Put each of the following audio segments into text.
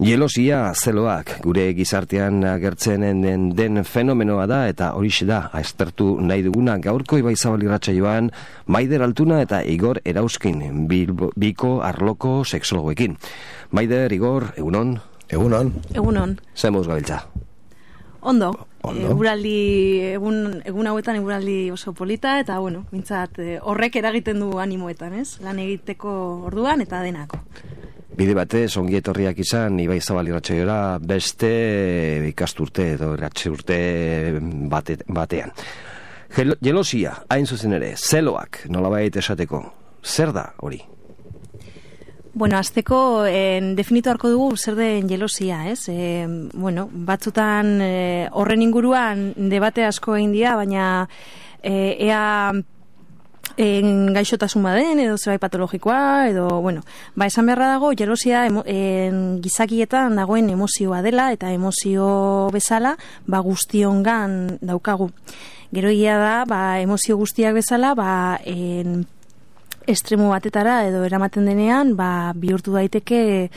Jelosia zeloak gure gizartean agertzen den fenomenoa da eta horixe da aztertu nahi duguna gaurko Ibaizabal irratsaioan Maider Altuna eta Igor Erauskin biko arloko sexologoekin. Maider, Igor, egunon? Egunon. Zemuz gabiltza? Ondo. Egun hauetan eguraldi oso polita eta mintzat horrek eragiten du animoetan, ez? Lan egiteko orduan eta denako. Bide batez, ongi etorriak izan Ibaizabal irratsaiora beste ikasturte edo irratsaurte batean. Jelosia, hain zuzen ere, zeloak nolabait esateko, zer da hori? Azteko definitu harko dugu zer den jelosia, ez? Batzutan horren inguruan debate asko egin dira, baina ea gaixotasun baden edo zerbait patologikoa edo esan beharra dago jelosia gizakietan dagoen emozioa dela eta emozio bezala guztiongan daukagu. Gero egia da emozio guztiak bezala estremo batetara edo eramaten denean bihurtu daiteke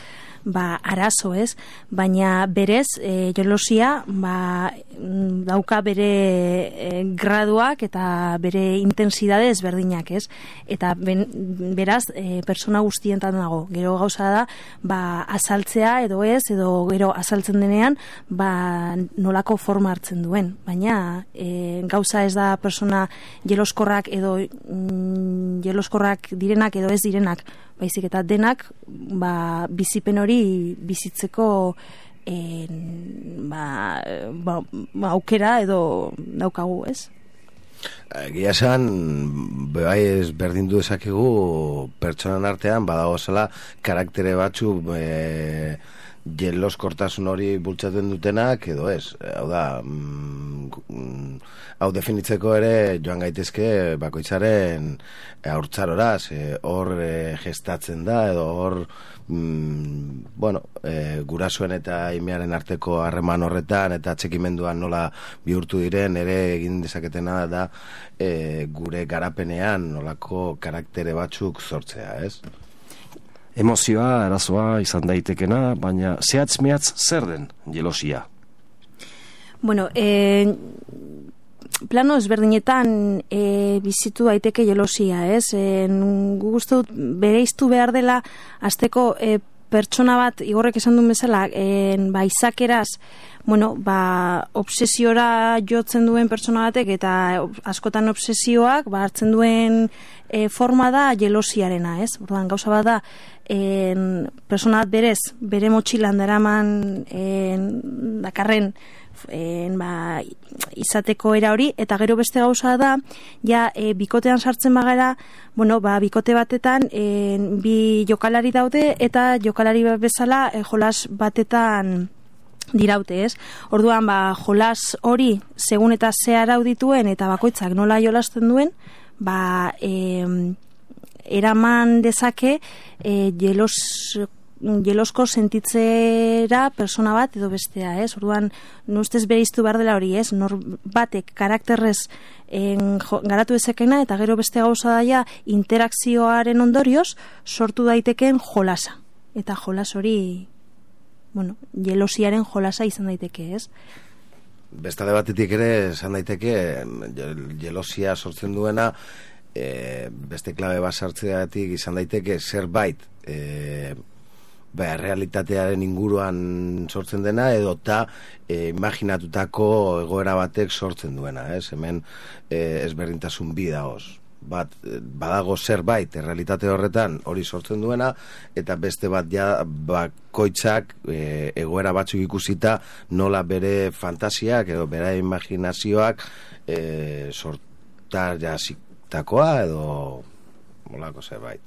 arazo, ez? Baina berez jelosia dauka bere graduak eta bere intensidade ezberdinak, ez? Eta beraz persona guztientan dago. Gero gauza da azaltzea edo ez, edo gero azaltzen denean nolako forma hartzen duen. Baina gauza ez da persona jeloskorrak edo jeloskorrak direnak edo ez direnak, baizik eta denak bizipen hori bizitzeko aukera edo daukagu, ez? Egia esan, ez berdindu ezakegu pertsonan artean badagozela karaktere batzu jeloskortasun hori bultzaten dutenak edo ez. Hau da, hau definitzeko ere joan gaitezke bakoitzaren haurtzaroraz, hor gestatzen da edo hor gurasoen eta imearen arteko harreman horretan eta atxikimenduan nola bihurtu diren ere egin dezaketena da gure garapenean nolako karaktere batzuk sortzea, ez? Emozioa, arazoa izan daitekena, baina zehatz-mehatz zer den jelosia? Plano ezberdinetan bizitu daiteke jelosia, ez? Guk uste dut bereiztu behar dela azteko pertsona bat, Igorrek esan duen bezala, izakeraz, obsesiora jotzen duen pertsona batek eta askotan obsesioak hartzen duen forma da jelosiarena, ez? Orduan, gauza bat da, persona bat berez, bere motxilan daraman dakarren izateko era hori, eta gero beste gauza da, bikotean sartzen bagara, bikote batetan bi jokalari daude eta jokalari bezala jolas batetan diraute, ez? Orduan, jolas hori segun eta ze arau dituen eta bakoitzak nola jolasten duen, eraman dezake jelosko sentitzera persona bat edo bestea, ez? Orduan, ustez bereiztu behar dela hori, ez? Nor batek karakterrez garatu dezakena eta gero beste gauza daia interakzioaren ondorioz sortu daitekeen jolasa. Eta jolas hori jelosiaren jolasa izan daiteke, ez? Bestade batetik ere esan daiteke jelosia sortzen duena beste klabe bat sartzeatik izan daiteke zerbait realitatearen inguruan sortzen dena edo imaginatutako egoera batek sortzen duena, ez? Hemen ezberdintasun bi dagoz. Badago zerbait realitate horretan hori sortzen duena eta beste bat bakoitzak egoera batzuk ikusita nola bere fantasiak edo bere imaginazioak sortar jasitakoa edo molako zerbait.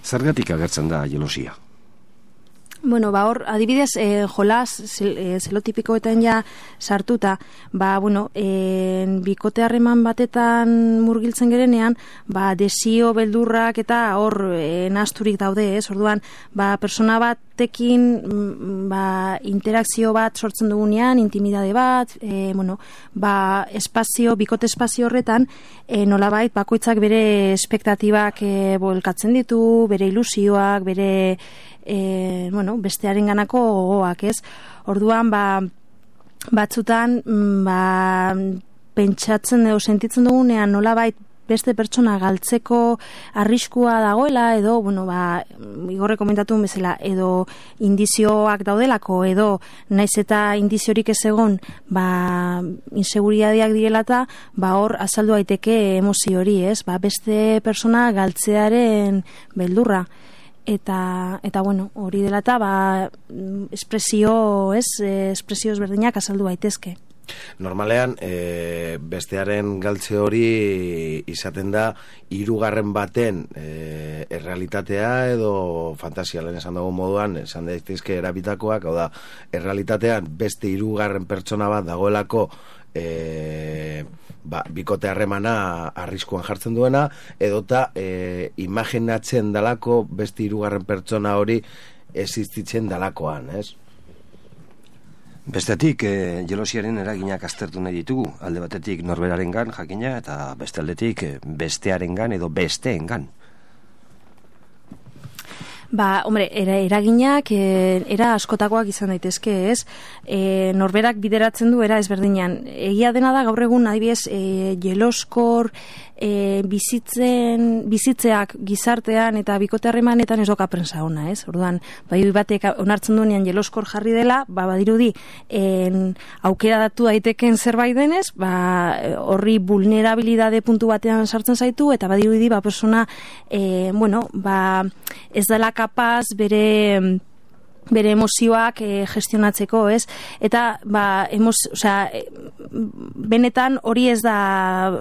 Zergatik agertzen da jelosia? Hor, adibidez, jolas, zelotipikoetan sartuta, bikote harreman batetan murgiltzen gerenean, desio, beldurrak eta hor nasturik daude, ez? Orduan, persona bat batekin interakzio bat sortzen dugunean, intimidade bat, bikote espazio horretan, nolabait bakoitzak bere espektatibak bolkatzen ditu, bere ilusioak, bere bestearen ganako gogoak, ez? Orduan, batzutan, pentsatzen edo sentitzen dugunean nolabait beste pertsona galtzeko arriskua dagoela, edo, Igorre komentatu bezala, edo indizioak daudelako, edo naiz eta indiziorik ez egon, inseguridadeak direlata, hor azaldu daiteke emozio hori, ez? Beste pertsona galtzearen beldurra. Eta hori dela eta espresio ezberdinak azaldu daitezke. Normalean, bestearen galtze hori izaten da hirugarren baten errealitatea edo fantasialen esan dago moduan, esan daitezke erabitakoak, hau da, errealitatean beste hirugarren pertsona bat dagoelako bikote harremana arriskuan jartzen duena, edota imaginatzen dalako beste hirugarren pertsona hori existitzen dalakoan, ez? Bestetik, jelosiaren eraginak aztertu nahi ditugu, alde batetik norberarengan jakina, eta beste aldetik bestearengan edo besteengan. Eraginak era askotakoak izan daitezke, ez? Norberak bideratzen du era ezberdinan. Egia dena da gaur egun adibidez jeloskor bizitzeak gizartean eta bikote harremanetan ez doka prensa ona, ez? Orduan, batek onartzen duenean jeloskor jarri dela, badirudi aukera datu daiteken zerbait denez, horri vulnerabilidade puntu batean sartzen zaitu, eta badirudi persona ez dela kapaz bere emozioak gestionatzeko, ez? Eta, benetan hori ez da,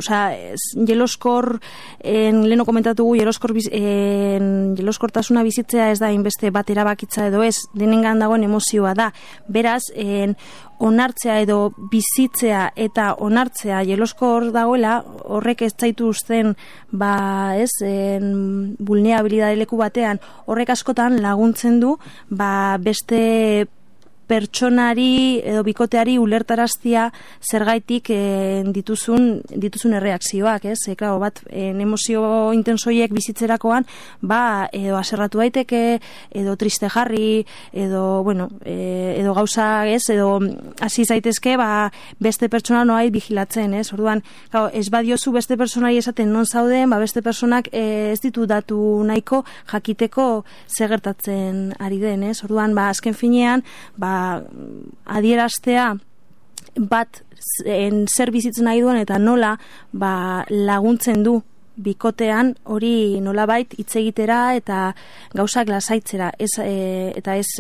jeloskor, leheno komentatugu, jeloskortasuna bizitzea ez da inbeste bat erabakitza edo ez, denengan dagoen emozioa da. Beraz, onartzea edo bizitzea eta onartzea jeloskor dagoela, horrek ez zaitu uzten, vulnerabilidade leku batean, horrek askotan laguntzen du, beste pertsonari edo bikoteari ulertaraztia zergaitik dituzun erreakzioak, ez? Emozio intensoiek bizitzerakoan, edo aserratu daiteke, edo triste jarri, edo gauza, ez? Edo hasi zaitezke, beste pertsona noait vigilatzen, ez? Orduan, ez badiozu beste pertsonari esaten non zauden, beste pertsonak ez ditu datu nahiko jakiteko zegertatzen ari den, ez? Orduan, azken finean, adieraztea zer bizitzen nahi duen eta nola laguntzen du bikotean hori nolabait hitz egitera eta gauzak lasaitzera, eta ez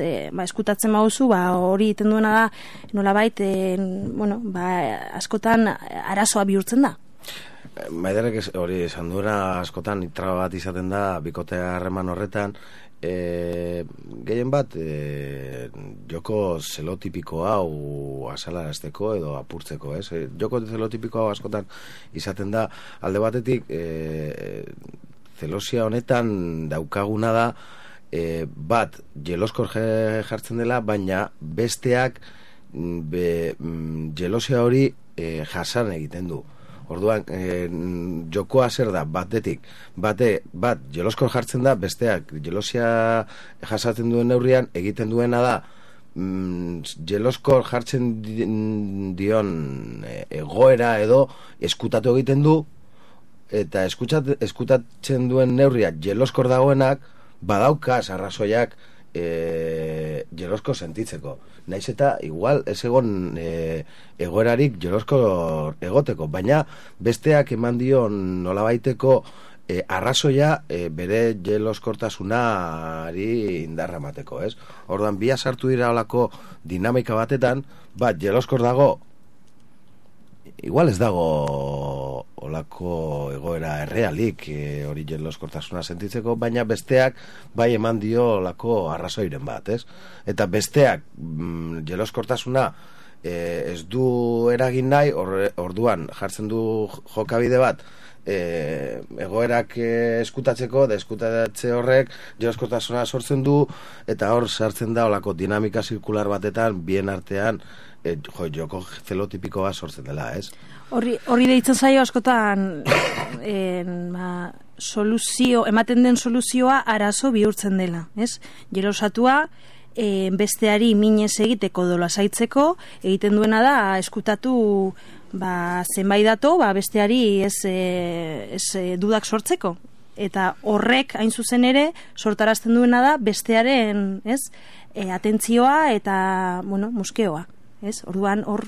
eskutatzen baduzu, hori egiten duena da nolabait askotan arazoa bihurtzen da. Maiderrek hori esan duena askotan traba bat izaten da bikote harreman horretan, gehien bat joko zelotipiko hau azalarazteko edo apurtzeko, ez? Joko zelotipiko hau askotan izaten da, alde batetik zelosia honetan daukaguna da bat jeloskor jartzen dela, baina besteak jelosia hori jasan egiten du. Orduan, jokoa zer da, bat jeloskor jartzen da, besteak jelosia jasaten duen neurrian, egiten duena da, jeloskor jartzen dion egoera edo eskutatu egiten du, eta eskutatzen duen neurria jeloskor dagoenak, badauka arrazoiak jeloskor sentitzeko. Naiz eta igual ez egon egoerarik jeloskor egoteko, baina besteak eman dion nolabaiteko arrazoia bere jeloskortasunari indarra emateko, ez? Orduan, bia sartu dira olako dinamika batetan, jeloskor dago, igual ez dago olako egoera errealik hori jeloskortasuna sentitzeko, baina besteak bai eman dio olako arrazoiren bat, ez? Eta besteak jeloskortasuna ez du eragin nahi, orduan jartzen du jokabide bat, egoerak eskutatzeko, da eskutatze horrek joskortasuna sortzen du, eta hor sartzen da olako dinamika zirkular batetan, bien artean, joko zelotipiko bat sortzen dela, ez? Horri deitzen zaio askotan ematen den soluzioa arazo bihurtzen dela, ez? Jelosatua besteari minez egiteko dolasaitzeko egiten duena da eskutatu zenbait dato besteari ez dudak sortzeko, eta horrek hain zuzen ere sortarazten duena da bestearen atentzioa eta muskeoa, ez? Orduan hor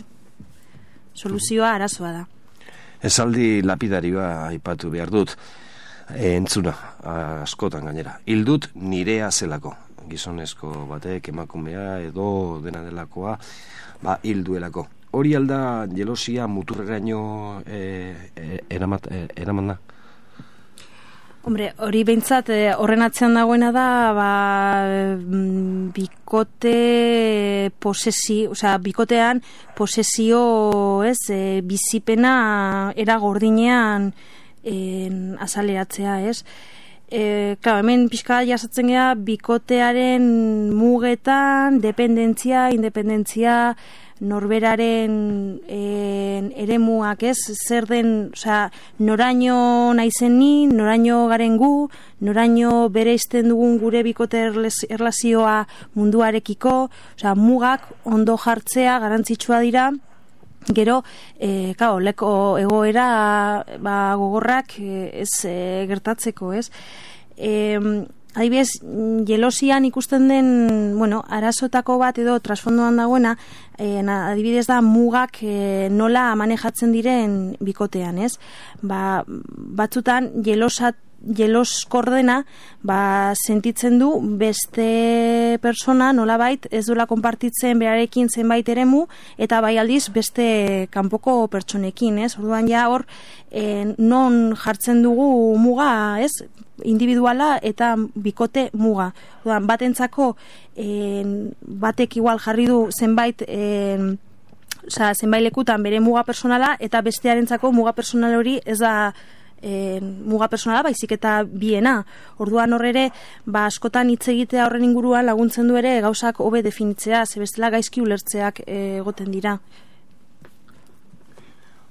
soluzioa arazoa da. Esaldi lapidarioa aipatu behar dut, entzuna askotan gainera, hildut nirea zelako, gizonezko batek emakumea edo dena delakoa hilduelako. Hori alda jelosia muturreraino eraman da? Hombre, hori behintzat horren atzean dagoena da bikotean posesio bizipena era gordinean azaleratzea, ez? Claro, hemen pixka jasatzen gea bikotearen mugetan, dependentzia, independentzia, norberaren eremuak, ez? Zer den, noraino naizen ni, noraino garen gu, noraino bereizten dugun gure bikote erlazioa munduarekiko, mugak ondo jartzea garrantzitsua dira. Gero, leko egoera gogorrak ez gertatzeko, ez? Adibidez, jelosian ikusten den, arazotako bat edo trasfondoan dagoena, adibidez da mugak nola manejatzen diren bikotean, ez? Batzutan jeloskordena sentitzen du beste persona nolabait ez duela konpartitzen berarekin zenbait eremu, eta bai aldiz beste kanpoko pertsonekin, ez? Orduan ja hor non jartzen dugu muga, ez? Individuala eta bikote muga. Orduan batentzako batek igual jarri du zenbait lekutan bere muga personala, eta bestearentzako muga personal hori ez da muga personala, baizik eta biena. Orduan horre, askotan hitz egitea horren inguruan laguntzen du ere gauzak hobe definitzea, ze bestela gaizki ulertzeak egoten dira.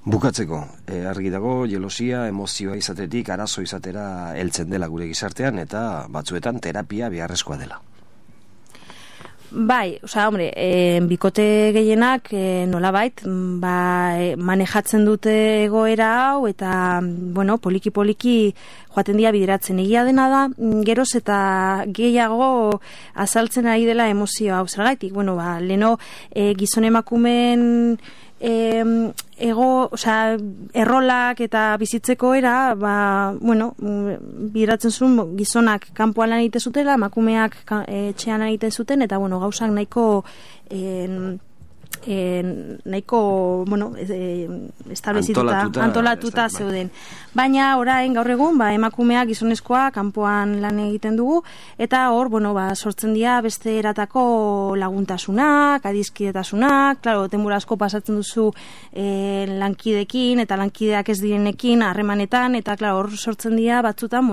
Bukatzeko, argi dago, jelosia, emozioa izatetik, arazo izatera heltzen dela gure gizartean, eta batzuetan terapia beharrezkoa dela. Bai, bikote gehienak nolabait manejatzen dute egoera hau, eta poliki-poliki joaten dira bideratzen. Egia dena da, geroz eta gehiago azaltzen ari dela emozio hau. Zergaitik, leno gizon emakumeen errolak eta bizitzeko era, bideratzen zuen gizonak kanpoan lan egite zutela, emakumeak etxean lan egite zuten, eta gauzak nahiko antolatuta zeuden. Baina orain gaur egun emakumeak gizonezkoa kanpoan lan egiten dugu, eta hor sortzen dira beste eratako laguntasunak, adizkidetasunak, claro, denbora asko pasatzen duzu lankidekin eta lankideak ez direnekin harremanetan, eta claro, hor sortzen dira batzutan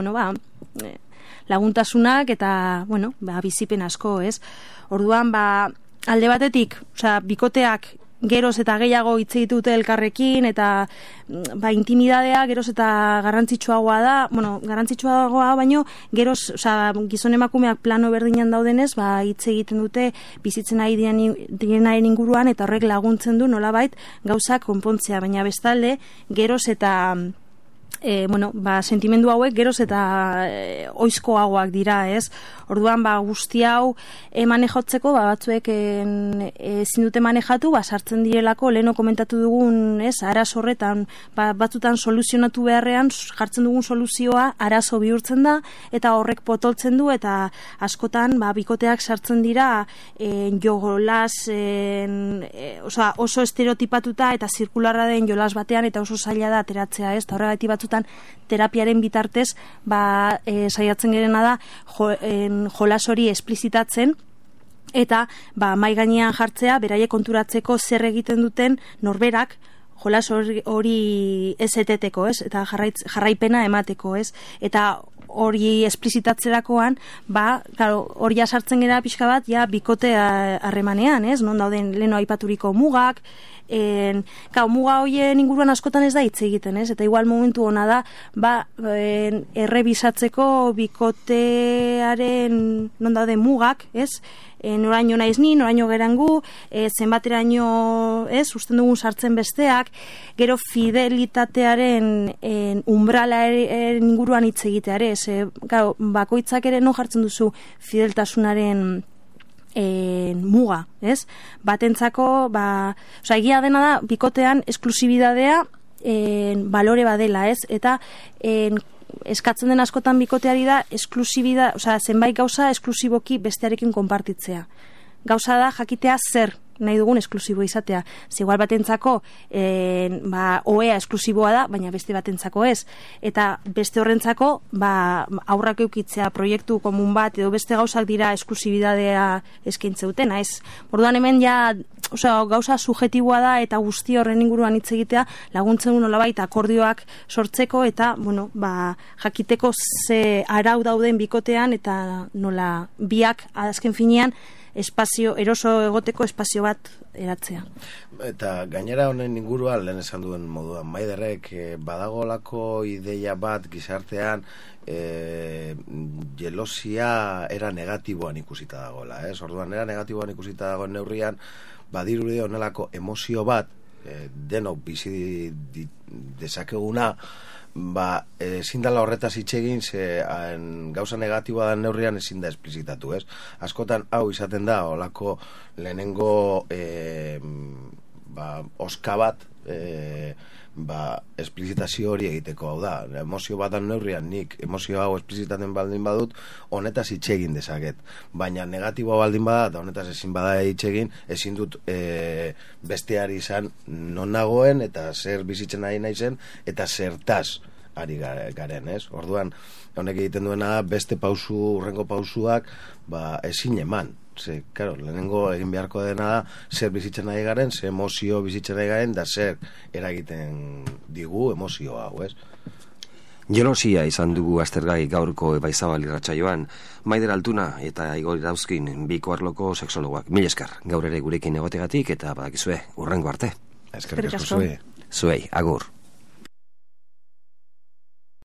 laguntasunak eta bizipen asko, ez? Orduan alde batetik, bikoteak geroz eta gehiago hitz egite elkarrekin, eta intimidadea geroz eta garrantzitsuagoa da, garrantzitsuagoa baino geroz, gizon emakumeak plano berdinan daudenez, hitz egiten dute bizitzen ari direnaren inguruan, eta horrek laguntzen du nolabait gauzak konpontzea, baina bestalde geroz eta sentimendu hauek geroz eta oizkoagoak dira, ez? Orduan, guzti hau manejatzeko, batzuek ezin dute manejatu, sartzen direlako, leheno komentatu dugun, ez? Arazo horretan, batzutan soluzionatu beharrean, jartzen dugun soluzioa arazo bihurtzen da, eta horrek potoltzen du, eta askotan, bikoteak sartzen dira jolas, oso estereotipatuta eta zirkularra den jolas batean, eta oso zaila da ateratzea, ez? Horregatik batzutan terapiaren bitartez saiatzen gerena da jolas hori esplizitatzen, eta mai gainean jartzea, beraiek konturatzeko zer egiten duten norberak, jolas hori ez eteteko, ez? Eta jarraipena emateko, ez? Eta hori esplizitatzerakoan, hori sartzen gara pixka bat, bikote harremanean, ez? Non dauden leno aipaturiko mugak, muga horien inguruan askotan ez da hitz egiten, ez? Eta igual momentu ona da, errebisatzeko bikotearen non dauden mugak, ez? Noraino naiz ni, noraino gerangu, zenbateraino, ez? Usten dugun sartzen besteak, gero fidelitatearen umbralaren inguruan hitz egiteare, ez? Bakoitzak ere non jartzen duzu fideltasunaren muga, ez? Batentzako, egia dena da, bikotean esklusibidadea balore badela, ez? Eta eskatzen den askotan bikoteari da zenbait gauza esklusiboki bestearekin konpartitzea. Gauza da jakitea zer nahi dugun esklusibo izatea. Igual batentzako oea esklusiboa da, baina beste batentzako ez. Eta beste horrentzako aurrak eukitzea proiektu komun bat edo beste gauzak dira esklusibidadea eskaintzeuten, ez? Orduan hemen gauza subjetiboa da eta guzti horren inguruan hitz egitea laguntzen du nolabait akordioak sortzeko eta jakiteko ze arau dauden bikotean eta nola biak azken finean espazio eroso egoteko espazio bat eratzea. Eta gainera honen inguruan lehen esan duen moduan Maiderrek badagolako ideia bat gizartean jelosia era negatiboan ikusita dagoela, ez? Orduan era negatiboan ikusita dagoen neurrian badirudi honelako emozio bat denok bizi dezakeguna ezin dela horretaz hitz egin gauza negatiboa da neurrian ezin da esplizitatu, ez? Askotan hau izaten da holako lehenengo oska bat esplizitazio hori egiteko, hau da, emozio bat da neurrian nik emozio hau esplizitaten baldin badut honetaz hitz egin dezaket, baina negatiboa baldin bada eta honetaz ezin bada hitz egin, ezin dut besteari izan non nagoen eta zer bizitzen ari naizen eta zertaz ari garen, ez? Orduan honek egiten duena beste urrengo pausuak ezin eman. Claro, lehenengo egin beharko dena da zer bizitzen nahi garen, zer emozio bizitzen nahi garen, da zer eragiten digu emozio hau, ez? Jelosia izan dugu aztergai gaurko Ebaizabal irratsaioan, Maider Altuna eta Igor Irauzkin biko arloko sexologoak. Mil esker, gaur ere gurekin egotegatik eta badakizue, urrengo arte. Eskerrik asko zuei. Zuei, agur.